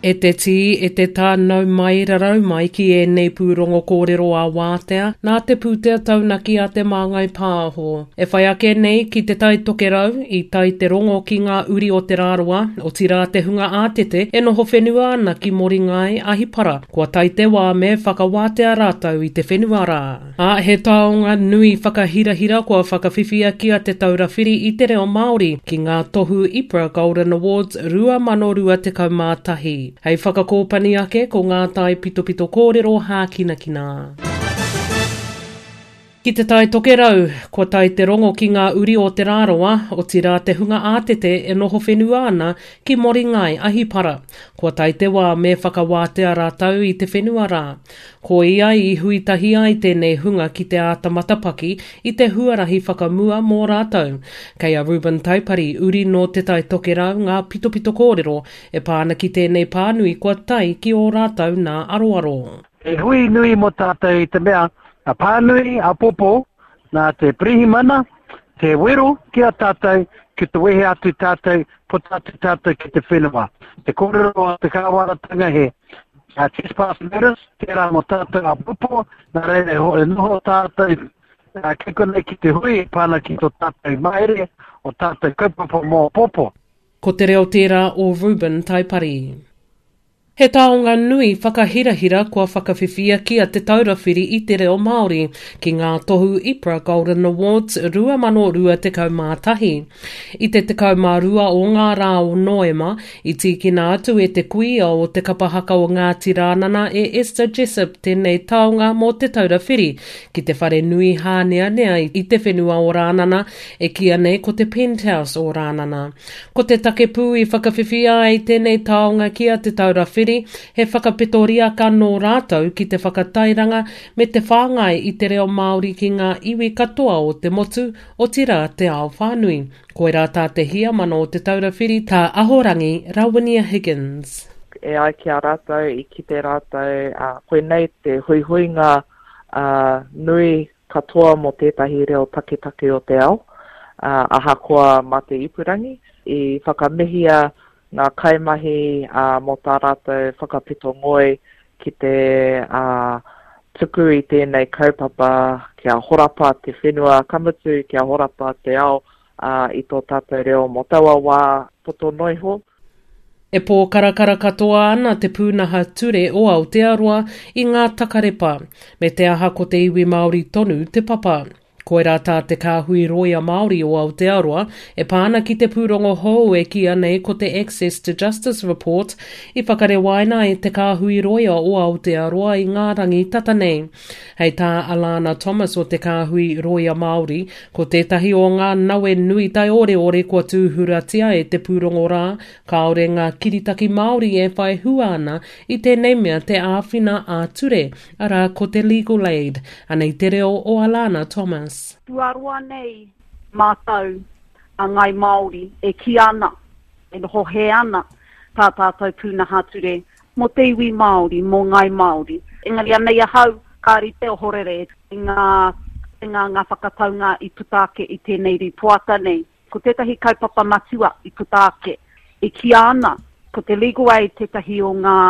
E te tī, e te tā, nau mai, rarau mai ki ēnei pūrongo kōrero ā-wātea nā te pūtea taunaki a Te Māngai Pāho. E whai ake nei ki Te Tai Tokerau, i tae te rongo ki ngā uri o Te Rarawa, otirā te hunga ātete e noho whenua ana ki Moringai, Ahipara, kua tae te wā me whakawātea rātou i te whenua rā. Ā, he taonga nui whakahirahira kua whakawhiwhia ki a Te Taura Whiri i te Reo Māori ki ngā tohu IPRA Golden Awards 2021. Hei whakakōpani ake ko ngā taipitopito kōrero hākinakina. Ki Te Tai Tokerau, kua tae te rongo ki ngā uri o Te Rarawa, otirā te hunga ātete e noho whenua ana ki Moringai, Ahipara. Kua tae te wā me whakawātea rātou i te whenua rā. Koia i hui tahi ai tēnei hunga ki te āta matapaki i te huarahi whakamua mō rātou. Kei a Reuben Taipari, uri nō Te Tai Tokerau, ngā pitopito kōrero e pā ana ki tēnei pānui kua tae ki ō rātou nā aroaro. He hui nui mō tātou i te mea, a pānui, a popo, nā te pirihimana, te wero ki a tātou, ki te wehe atu tātou, puta atu tātou ki te whenua. Te kōrero a te kāwanatanga he a trespass notice, tērā mō tātou a popo, nā reira e noho tātou ki konei ki te hui e pā ana ki tō tātou mahere, o tātou kaupapa mō popo. Ko te reo tērā o Reuben Taipari. He taonga nui whakahirahira kua whakawhiwhia ki a Te Taura Whiri i te Reo Māori ki ngā tohu IPRA Golden Awards 2021. I te 12 o ngā rā o Noema, i tīkina atu e te kuia o te kapa haka o Ngāti Rānana e Esther Jessop tēnei taonga mō Te Taura Whiri ki te whare nui hāneanea i te whenua o Rānana e kīia nei ko te Penthouse o Rānana. Ko te take pū i whakawhiwhia ai tēnei taonga ki a Te Taura Whiri, he whakapeto riaka nō rātou ki te whakatairanga me te whāngai i te reo Māori ki ngā iwi katoa o te motu, otirā te ao whānui. Koirā tā te Heamana o Te Taura Whiri, tā Ahorangi Rawinia Higgins. E ai ki a rātou, i kite rātou, koinei te huihuinga nui katoa mō tētahi reo taketake o te ao, ahakoa mā te ipurangi. I whakamihia ngā kaimahi mō tā rātou whakapeto ngoi ki te tuku i tēnei kaupapa kia horapa te whenua, ka mutu kia horapa te ao i tō tātou reo mō taua wā poto noa iho. E pōkarakara katoa ana te pūnaha ture o Aotearoa i ngā takarepa, me te aha ko te iwi Māori tonu te papa. Koirā tā te Kāhui Rōia Māori o Aotearoa e pā ana ki te pūrongo hou e kīia nei ko te Access to Justice Report i whakarewaina e te Kāhui Rōia o Aotearoa i ngā rangi tata nei. Hei tā Alana Thomas o te Kāhui Rōia Māori, ko tētahi o ngā nawe nui taioreore kua tūhuratia e te pūrongo rā, kāore ngā kiritaki Māori e whai hua ana i tēnei mea te āwhina ā-ture, arā ko te Legal Aid. Anei te reo o Alana Thomas. Kua roa nei mātou a Ngāi Māori e kī ana, e noho hē ana tā tātou pūnaha ture mō te iwi Māori, mō Ngāi Māori. Engari anei ahau, ka rite ohorere i ngā, i ngā, ngā whakataunga i puta ake i tēnei rīpoata nei. Ko tētahi kaupapa matua i puta ake, e kīia ana, ko te Legal Aid tētahi o ngā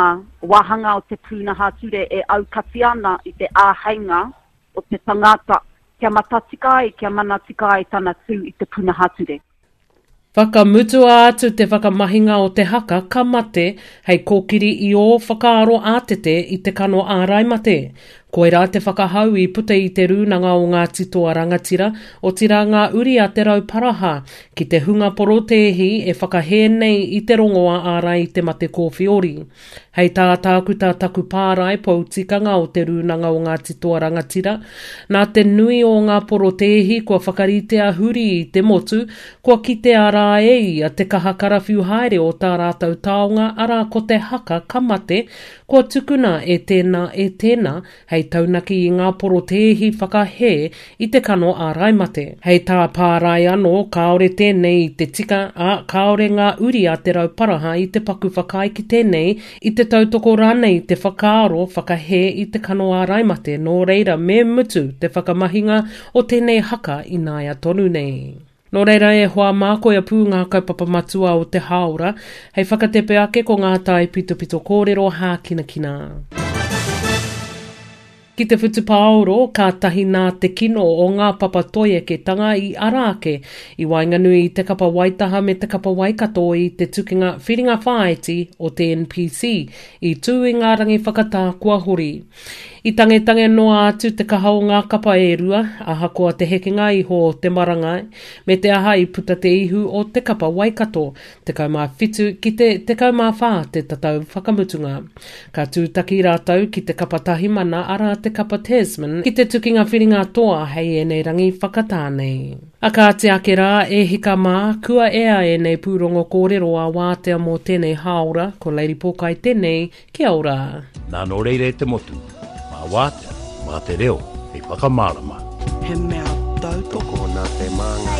wāhanga o te pūnaha ture e aukati ana i te āheinga o te tangata kia matatika ai, kia mana tika ai tana tū i te pūnaha ture. Whakamutua atu te whakamahinga o te haka ka mate hei kōkiri i ō whakaaro ātete i te kano ārai mate. Koirā te whakahau i puta i te Rūnanga o Ngāti Toa Rangatira, otirā ngā uri a Te Rauparaha, ki te hunga porotēhi e whakahē nei i te rongoā ārai i te mate kōwhiori. Hei tā Tākuta Taku Pārae, pou tikanga o Te Rūnanga o Ngāti Toa Rangatira, nā te nui o ngā porotēhi kua whakaritea huri i te motu, kua kitea rā e ia te kaha karawhiu haere o tā rātou taonga arā ko te haka ka mate, kua tukuna e tēnā e tēnā hei taunaki i ngā porotēhi whakahē i te kano ārai mate. Hei tā Pārae anō, kāore tēnei i te tika, ā, kāore ngā uri a Te Rauparaha i te paku whakaae ki tēnei, i te tautoko rānei i te whakaaro whakahē i te kano ārai mate, nō reira me mutu te whakamahinga o tēnei haka ināia tonu nei. Nō reira e hoa mā koia pū ngā kaupapa matua o te hāora, hei whakatepe ake ko ngā taipitopito kōrero hākinakina. Ki te whutupaoro, kātahi nā te kino o ngā papa toieketanga i ara ake i waenganui i te kapa Waitaha me te kapa Waikato i te tukinga whiringa whāiti o te NPC i tū i ngā rangi whakatā kua hori. I tangetange noa atu te kaha o ngā kapa e rua, ahakoa te hekenga iho o te marangai, me te aha i puta te ihu o te kapa Waikato, 17 ki te 14 te tatau whakamutunga. Ka tūtaki rātou ki te kapa Tahimana arā te kapa Tasman ki te tukinga whiringa toa hei ēnei rangi whakatā nei. A kāti ake rā, e hika mā, kua ea ēnei pūrongo kōrero a Wātea mō tēnei hāora, ko Lady Pōkai tēnei, kia ora. Nā nō reira e te motu, mā Wātea, mā te reo hei whakamārama. He mea tautoko. Tokona te māngai.